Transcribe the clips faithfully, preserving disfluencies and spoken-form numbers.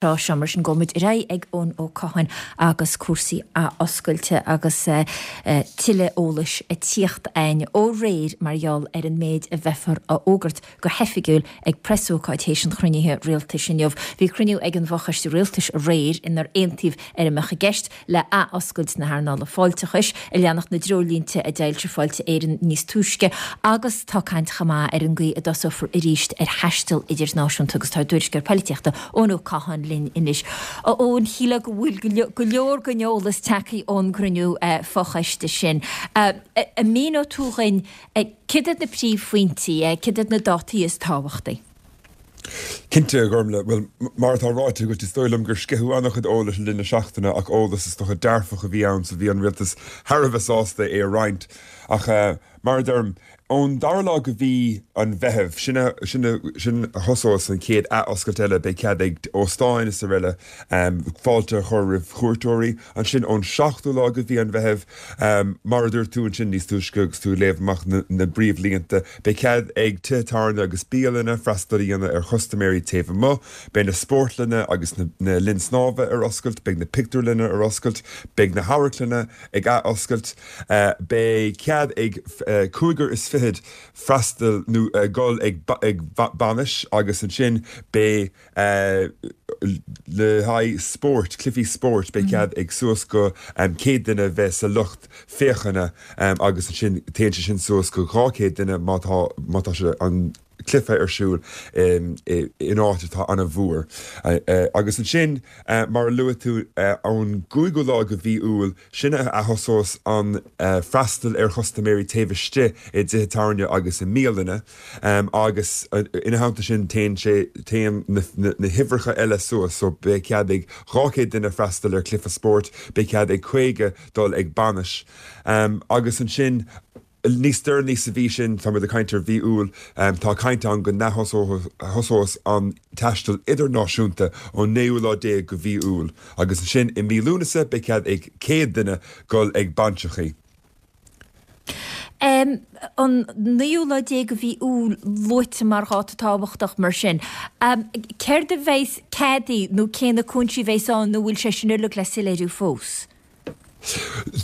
Tráth seo mar sin gabhfaidh muid ar aghaidh ag Eoin Ó Catháin agus cúrsaí athoscailte agus tuilleadh eolais ag tíocht againn ó aréir mar gheall ar an méid a bheifear a fhógairt go hoifigiúil ag preasócáid théis an chruinnithe rialtais inniu. Bhí cruinniú ag an bhfochoiste rialtais aréir inar aontaíodh ar a mbeadh i gceist le athoscailt na hearnála fáilteachais, ag leanacht na dtreoirlínte a d'fhoilsigh Fáilte Éireann níos túisce agus tá caint chomh maith ar an gcaoi a dtosófar arís ar thaisteal idirnáisiúnta agus tá ár dtuairisceoir polaitíochta Eoin Ó Catháin linn anois. A Eoin, shílfeá go bhfuil go leor den eolas tagtha ón gcruinniú fochoiste sin. An míneoidh tú dhuinn céard iad na príomhphointí, céard iad na dátaí is tábhachtaí? Cinnte, a Ghormlaith. Bhuel, mar atá ráite agat, is dóigh liom gur sceitheadh an-chuid eolais le linn na seachtaine ach eolas is dócha dearfach a bhí ann so bhí an rialtas thar a bheith sásta é a roinnt. Ach mar a deirim, ón dara lá de mhí an Mheithimh, sin a, sin a, sin a thosós an chéad athoscailt eile, beidh cead ag óstáin is araile fáilte a chur roimh chuairteoirí. Ansin ón seachtú lá de mhí an Mheithimh, mar a dúirt tú ansin níos túisce agus tú ag léamh amach na, na bpríomhlínte, Beidh cead ag tithe tábhairne agus bialanna freastal a dhéanamh ar chustaiméirí taobh amuigh, beidh na spórtlanna agus na linn snámha ar oscailt, beidh na pictiúrlanna ar oscailt, beidh na hamharclanna ag ath-oscailt, beidh cead ag cúigear is fichead freastal nó dul ag bainis agus ansin beidh le haghaidh spóirt, cluichí spóirt, beidh cead ag suas go céad duine bheith sa lucht féachana agus ansin téann sé sin suas go dhá chéad duine má tá má tá sé an cluiche ar siúl in áit atá an-mhór. Agus ansin, mar a luaigh tú, ón gcúigiú lá de mhí Iúil, sin a thosós an freastal ar chustaiméirí taobh istigh i dtithe tábhairne agus i mbialanna agus ina theannta sin téann sé, téann na huimhreacha eile suas so beidh cead ag dhá chéad duine freastal ar chluiche spóirt, beidh cead ag caoga dul ag bainis agus ansin níos deireanaí sa mhí sin, tá muid ag caint ar mhí Iúil, tá caint ann go n-athosós an taisteal idirnáisiúnta ón naoú lá déag de mhí Iúil agus ansin i mí Lúnasa beidh cead ag céad duine dul ag bainseachaí. An naoú lá déag de mhí Iúil luaite mar dháta tábhachtach mar sin. Céard a bheas ceadaithe nó cé na cúinsí a bheas ann nó bhfuil sé sin uilig le soiléiriú fós?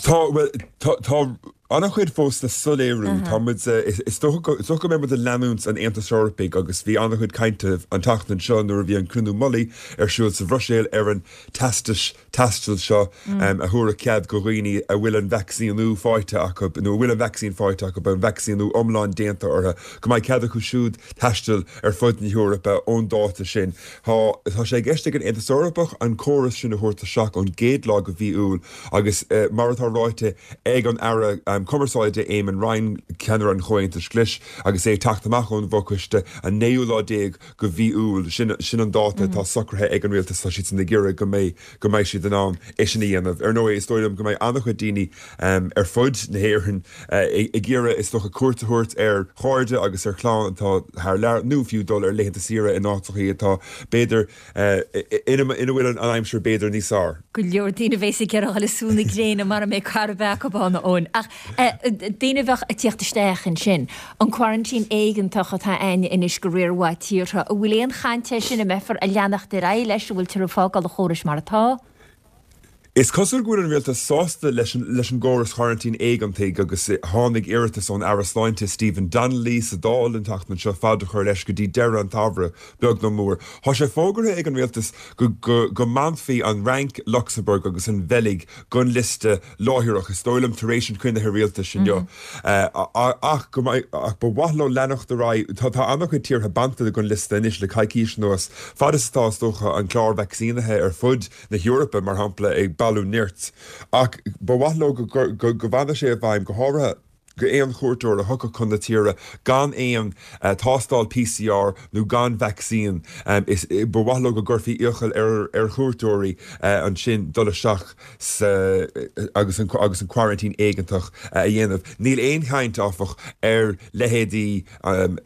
Tá, bhuel, tá, tá an-chuid fós le soiléiriú. Tá muid, is dócha go, is dócha go mbeidh muid ag leanúint an Aontais Eorpaigh agus bhí an-chuid cainte an tseachtain seo nuair a bhí an cruinniú mullaigh ar siúl sa Bhruiséil ar an teastas taistil seo a thabharfadh cead go dhaoine a bhfuil an vacsaíniú faighte acu nó a bhfuil an vacsaín faighte acu, an vacsaíniú iomlán déanta orthu, go mbeidh cead acu siúd taisteal ar fud na hEorpa ón dáta sin. Tá, tá sé i gceist ag an Aontas Eorpach an córas sin a thabhairt isteach ón gcéad lá de mhí Iúil agus mar atá ráite ag an Aire Cumarsáide Eamon Ryan, ceannaire an Chomhaontais Ghlais, agus é ag teacht amach ón bhfochoiste an naoú lá déag de mhí Iúil, sin sin an dáta atá socraithe ag an rialtas, tá siadsan ag iarraidh go mbeidh go mbeidh siad in ann é sin a dhéanamh. Ar ndóigh, is dóigh liom go mbeidh an-chuid daoine ar fud na hÉireann ag iarraidh, is dócha, cuairt a thabhairt ar chairde agus ar chlann atá thar lear, nó fiú dul ar laethanta saoire in áiteachaí atá, b'fhéidir, ina bhfuil an aimsir b'fhéidir níos fearr. Go leor daoine a bheas ag iarraidh dul ag sú na gréine mara mbeidh carr ar bith acu ann, a Eoin. Ach daoine a bheadh ag tíocht isteach ansin, an quarantine éigeantach atá a'ainne anois go riar mhaith tíortha, an bhfuil aon chaint air sin, an mbeifear ag leanacht ar aghaidh leis, an bhfuiltear ag fágáil an chórais mar atá? Is cosúil go bhfuil an rialtas sásta leis leis an gcóras choraintín éigeantaigh agus tháinig iarratas ón Aire Sláinte Stephen Donnelly sa Dáil an tseachtain seo fad a chur leis go dtí deireadh an tsamhraidh, beag nó mór. Tá sé fógartha ag an rialtas go go go mbainfí an Fhrainc, Lucsamburg agus an Bheilg den liosta láithreach, is dóigh liom tar éis an chruinnithe rialtais inniu, ach go mbeidh ach ba mhaith leo leanacht ar aghaidh. Tá tá an-chuid tíortha bainte den liosta anois le coicís anuas, fad is atá is dócha an clár vacsaínithe ar fud na hEorpa, mar shampla, ag bailiú nirt. Ach ba mhaith leo go go bhfanfadh sé i bhfeidhm, go háirithe go aon chuairteoir a thiocfadh chun na tíre gan aon tástáil PCR nó gan vacsaín. Is ba mhaith leo go gcuirfí iachall ar ar chuairteoirí ansin dul isteach sa agus an agus an coraintín éigeantach a dhéanamh. Níl aon chaint, áfach, ar leithéidí an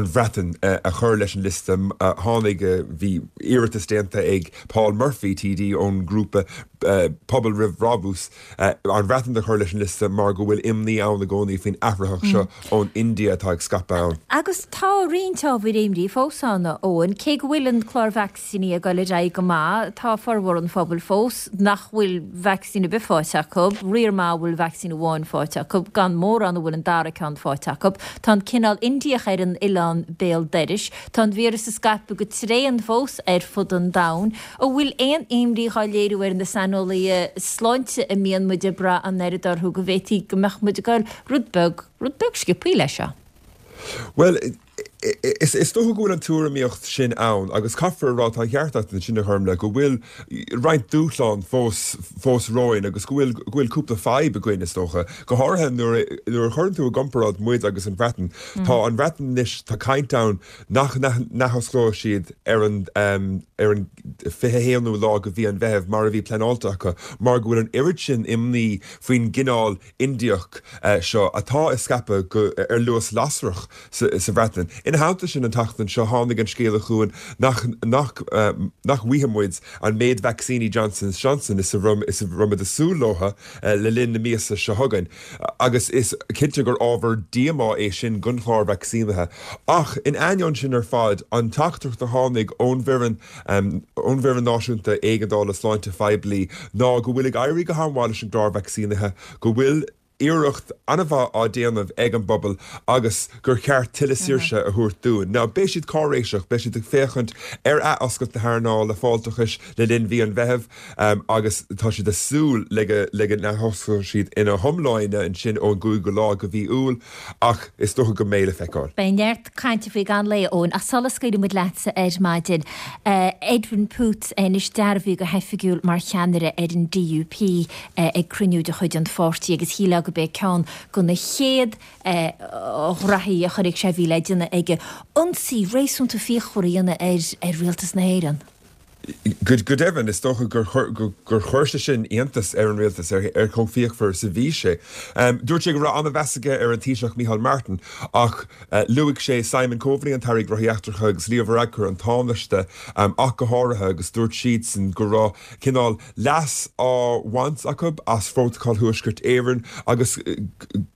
Bhreatain a chur leis an liosta. Tháinig, bhí iarratas déanta ag Paul Murphy, TD ón ngrúpa Pobal Roimh Bhrabús, an Bhreatain a chur leis an liosta mar go bhfuil imní ann i gcónaí faoin athraitheach seo ón India atá ag scaipeadh ann. Agus tá roinnt ábhair imní fós ann, a Eoin. Cé go bhfuil an clár vacsaíní ag dul ar aghaidh go maith, tá formhór an phobail fós nach bhfuil vacsaín ar bith faighte acu, riar maith a bhfuil vacsaín amháin faighte acu, gan mórán a bhfuil an dara ceann faighte acu. Tá an cineál Indiach ar an oileán béal dorais. Tá an víreas ag scaipeadh go tréan fós ar fud an domhain. An bhfuil aon imní dhá léiriú ar na saineolaithe sláinte a mbíonn muid ag brath an oiread orthu go bhféadfaí go mbeadh muid ag goil rud beag, rud beag sciobthaí leis seo? Bhuel, is is dócha go bhfuil an tuairimíocht sin ann agus caithfear a rá, tá an ceart agat ansin a Ghormfhlaith, go bhfuil roinnt dúshlán fós fós romhainn agus go bhfuil go bhfuil cúpla fadhb againn is dócha, go háirithe nuair a nuair a chuireann tú i gcomparáid muid agus an Bhreatain. Tá an Bhreatain anois, tá caint ann nach n-athosclóidh siad ar an ar an fiche a haonú lá de mhí an Mheithimh mar a bhí pleanáilte acu mar go bhfuil an oiread sin imní faoin gcineál Indiach seo atá ag scaipeadh go ar luas lasrach sa Bhreatain. Ina theannta sin an tseachtain seo tháinig an scéala chugainn nach nach nach bhfaighidh muid an méid vacsaíní Johnson Johnson is a raibh is a raibh muid ag súil leo le linn na míosa seo chugainn agus is cinnte gur ábhar díomá é sin don chlár vacsaínithe. Ach in ainneoin sin ar fad, an teachtaireacht a tháinig ón bhfoireann ón bhFoireann Náisiúnta Éigeandála Sláinte Phoiblí ná go bhfuil ag éirí go han-mhaith leis an gclár vacsaínithe, go bhfuil iarracht an-mhaith á déanamh ag an bpobal agus gur cheart tuilleadh saoirse a thabhairt dúinn. Now, beidh siad cáiréiseach, beidh siad ag féachaint ar athoscailt na hearnála fáilteachais le linn mhí an Mheithimh agus tá siad ag súil le go le go n-athosclóidh siad ina hiomláine ansin ón gcúigiú lá de mhí Iúil ach is dócha go mbeidh le feiceáil. Beidh neart cainte faoi gan lae, Eoin, ach sula scaoilfidh muid leatsa ar maidin, Edwin Poots anois dearbhaithe go hoifigiúil mar cheannaire ar an DUP ag cruinniú de chuid an pháirtí agus shílfeá gurb é ceann de na chéad ghraithí a chuirfeadh sé a bhí le déanamh aige ionsaí réasúnta fíochmhar a dhéanamh ar rialtas na hÉireann. Go deimhin, is dócha gur gur chuir sé sin iontas ar an rialtas ar chomh fíochmhar is a bhí sé. Dúirt sé go raibh an-mheas aige ar an Taoiseach Micheál Martin ach luaigh sé Simon Coveney, an tAire Gnóthaí Eachtracha agus Leo Varadkar, an Tánaiste ach go háirithe agus dúirt siadsan go raibh cineál leas á bhaint acu as Phrótacal Thuaisceart Éireann agus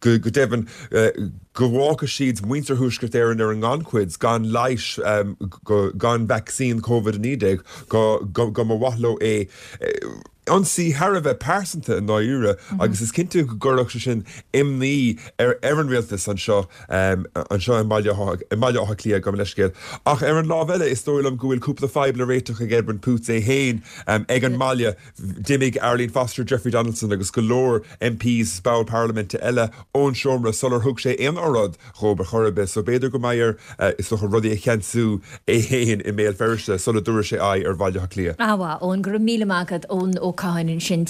go deimhin go bhfágfaidh siad muintir Thuaisceart Éireann ar an ngannchuid gan leigheas, gan vacsaín Covid a naoi déag go go mba mhaith leo é. Ionsaí thar a bheith pearsanta i ndáiríre agus is cinnte go gcuirfeadh sé sin imní ar ar an rialtas anseo anseo i mBaile i mBaile Átha Cliath, gabh mo leithscéal. Ach ar an lámh eile is dóigh liom go bhfuil cúpla fadhb le réiteach ag Edwin Poots é féin ag an mbaile. D'imigh Arlene Foster, Jeffrey Donaldson agus go leor MPs is ball parlaiminte eile ón seomra sular thug sé aon oráid dhóibh ar chor ar bith, so b'fhéidir go mbeidh air is dócha rudaí a cheansú é féin i mBéal Feirste sula dtabharfaidh sé aghaidh ar Bhaile Átha Cliath. Ana-mhaith, Eoin, go raibh míle maith agat, Eoin Ó Catháin ansin.